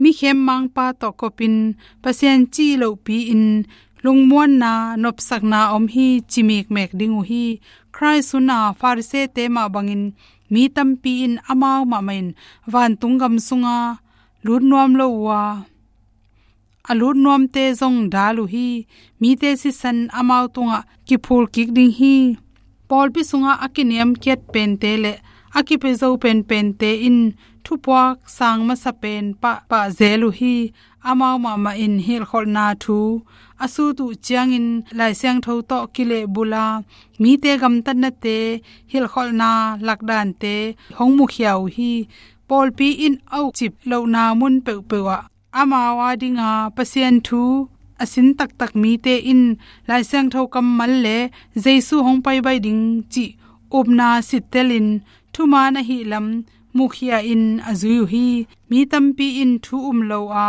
mi khemmangpa tawh kopin Pasian cih lohpi-in lungmuanna, nopsakna om hi ci mikmek ding uh hi. Khrih hun-a Farisee-te mah bangin mi tampi in amau mahmah in vantung gam sunga lut nuam lo uh a, a lut nuamte zong dal uh hi. Mite sisan amau tungah kiphul kik ding hi. Pawlpi sungah a kiniamkhiat pente le a kipia zo penpente in thupuak sang masa pen pahpah zel uh hi. Amau mahmah in hilhkholhna thu a sut uh ciangin Lai Siangtho tawh kilehbul a, mite gamtatnate, hilhkholhna lakdante hong mukhia uh hi. Pawlpi in a ukcip lohna mun peuhpeuh ah amau adinga Pasian thu a sin taktak mite in Lai Siangtho kammal le Jesu hong paibai ding cih upna sittelin thuman ahih lam mukhia-in a zui uh hi. Mi tampi in thu um lo a,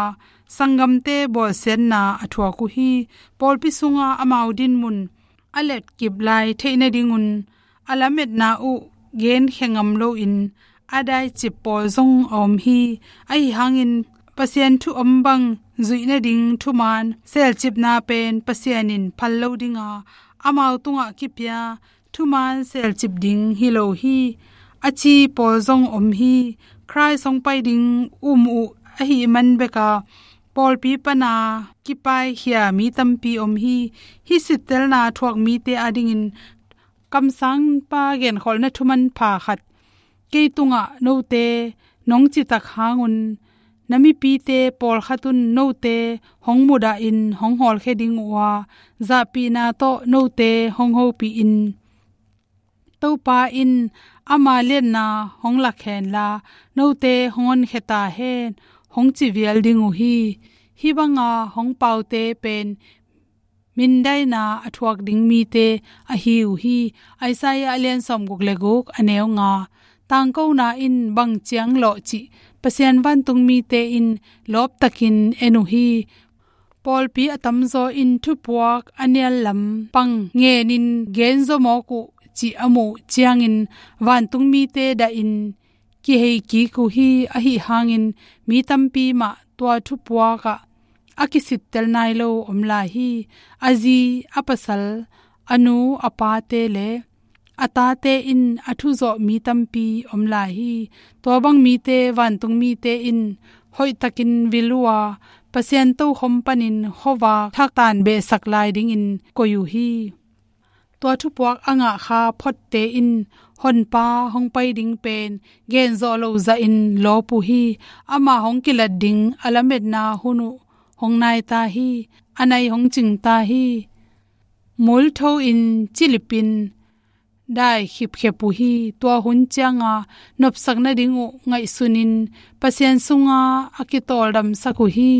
sanggamte bawlsiatna a thuak uh hi. Pawlpi sunga amau dinmun a letkip lai theih nadingun a lametna uh genkhia ngam loin a daicip pawl zong a om hi. Ahi hangin Pasian thu om bang zuih nading thuman selcipna pen Pasian in phal lo dinga amau tungah kipia thuman selcip ding hi lo hi, a ci pawl zong om hi. Khrih hong pai ding um uh ahih man beka pawlpi pana kipaikhia mi tampi om hi. Hih sittelna thuak mite adingin kamsangpa genkholhna thumanpha khat, kei tungah note nong citak hangun na mipite pawlkhat un note hong mudahin hong hawlkhia ding uh a, zahpihna tawh note hong hopihin Topa in ama liatna hong lak henla, note hong honkhia ta hen, hong ci vial ding uh hi. Hih banga hong paute pen mindaina a thuak ding mite ahi uh hi. Isaiah a lian sawmguk le guk, a neu nga. Tangkona in bang ciang lawh cih Pasian vantung mite in lawptakin en uh hi. Pawlpi a tamzaw in thupuak a nial lampang ngenin genzaw mawk uh cih a muh ciangin vantung mite dahin kihei kik uh hi. Ahi hangin mi tampi mah tua thupuak ah a kisittel nai lo om lai hi. A zi, a pasal, a nu, a pate le a tate in a thuzawh mi tampi om lai hi. Tua bang mite vantung mite in hoihtakin vil uh a, Pasian tokhom panin khuavak thaktan behsak lai dingin koih uh hi. Tua thupuak a ngah kha photte in Honpa hong pai ding pen genzawh loh zahin lawp uh hi. Amah hong kilat ding a lametna hun uh hong nai ta hi. A nai hong cing ta hi. Multho in cilipin dai khipkhep uh hi. Tua hun cianga nopsak nading uh ngaihsunin Pasian sunga a kitawldamsak uh hi.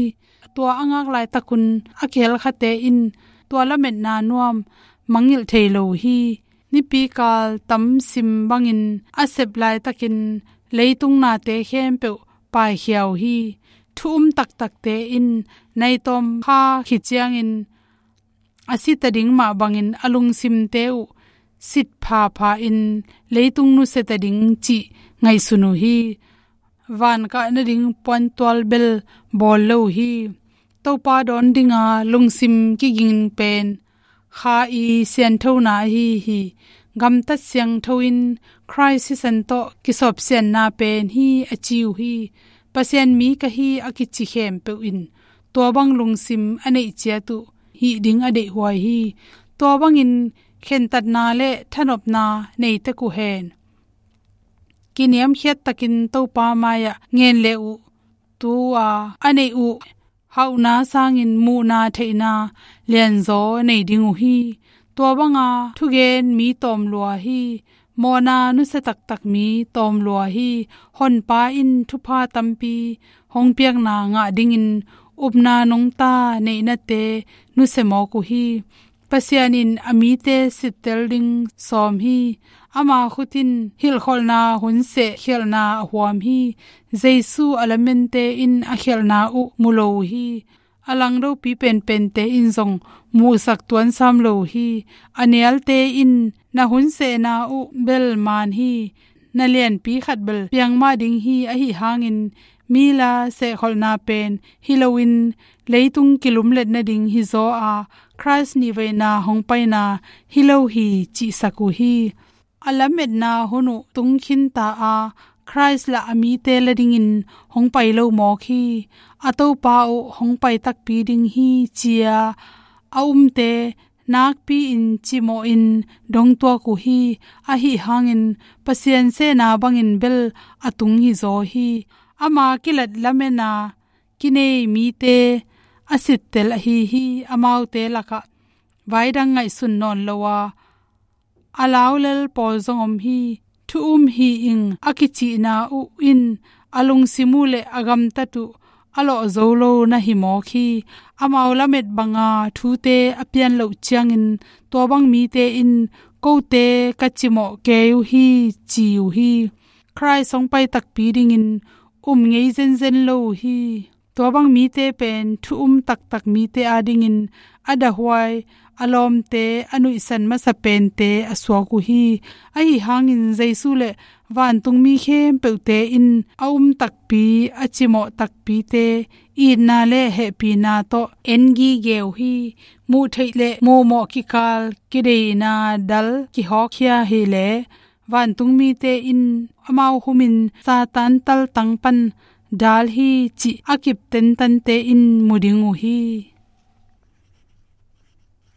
Tua a ngak laitakun a kihelkhate in tua lametna nuam mangngilh thei lo uh hi. Nipikal tamsim bangin a sep laitakin leitung nate khempeuh paikhia uh hi. Thu um taktakte in naitawm kha khit ciangin a sita ding mah bangin a lungsimte uh sit phapha in leitung nusia ta ding cih ngaihsun uh hi. Van kah nading puantual bel bawl lo uh hi. Topa dawn dinga lungsim kiging pen kha i sianthona ahi hi. Gamtat siangtho in Khrih sisan tawh kisawpsianna pen hi, a ci uh hi. Pasian mi ka hi a kici khempeuh in tua bang lungsim a neih ciat uh hih ding a deihhuai hi. Tua bangin khentatna le thanopna nei tek uh hen. Kiniamkhiat takin Topa mai-ah ngen le uh, tu-a a neih uh hauhna sangin muhna theihna lianzaw nei ding uh hi. Tua banga thugen mi tawm lua hi. Mawhna nusia taktak mi tawm lua hi. Honpa in thupha tampi hong piakna ngah dingin upna nungta neihnate nusia mawk uh hi. Pasian in a mite sittel ding sawm hi. Ama khut in hilhkholhna hun seh khialhna a huam hi. Jesu a lamente in a khialhna uh mu lo uh hi. A langdopi penpente in zong muhsak tuansam lo uh hi. A nialte in na hun sehna uh bel man hi. na lianpi khat bel piang mah ding hi. Ahi hangin mi la sehkholhna pen hi loin leitung kilumlet nading hizaw a Khrist nihveina hong paina hi lo hi cihsak uh hi. A lametna hun uh tungkhin ta a Khrist la a mite la dingin hong pai lo mawk hi. A Topa uh hong pai takpi ding hi ci-a a umte nakpi-in cimawhin dongtuak uh hi. Ahi hangin Pasian sehna bangin bel a tung hizaw hi. Ama kilat lamena kinei mite a sittel ahi hi. Amaute lakah vaidang ngaihsun nawn lo a a laulel pawl zong om hi. Thu um hi ing a kicihna uh in a lungsim uh le a gamtat uh a lawh zo lo na hi mawk hi. Amau lamet banga thute a pian loh ciangin tua bang mite in kote ka cimawh kei uh hi ci uh hi. Khrist hong pai takpi dingin um ngei zenzen lo uh hi. Tua bang mite pen thu um taktak mite adingin a dahhuai, a lawmte, a nuihsan masa pente a suak uh hi. Ahi hangin Jesu le vantungmi khempeuhte in a um takpi, a cimawh takpite itna le hehpihna tawh en gige uh hi. Muh theih le muhmawh kikal kideina dal kihawkkhia hi le vantungmite in amau humin Satan taltang pan dal hi cih a kip tentante in mu ding uh hi.